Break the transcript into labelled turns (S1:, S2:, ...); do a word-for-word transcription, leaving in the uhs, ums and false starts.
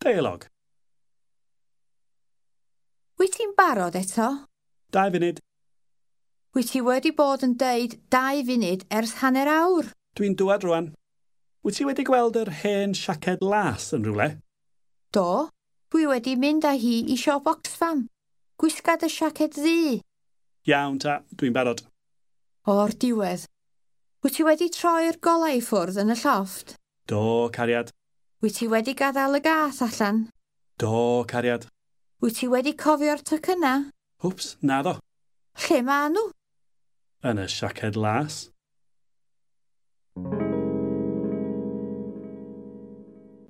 S1: Deialog.
S2: Wyt ti'n barod eto?
S1: Dau funud.
S2: Wyt ti wedi bod yn deud dau funud ers hanner awr.
S1: Dwi'n dŵad rwan. Wyt ti wedi gweld yr hen siaced las yn rhywle?
S2: Do, dwi wedi mynd â hi i siop Oxfam. Gwisga dy siaced ddu.
S1: Iawn ta, dwi'n barod.
S2: O'r diwedd. Wyt ti wedi troi'r golau i ffwrdd yn y llofft?
S1: Do, cariad.
S2: Wyt ti wedi gadael y gath allan?
S1: Do, cariad.
S2: Wyt ti wedi cofio'r tocyna?
S1: Wps, naddo.
S2: Lle ma nhw?
S1: Yn y siaced las.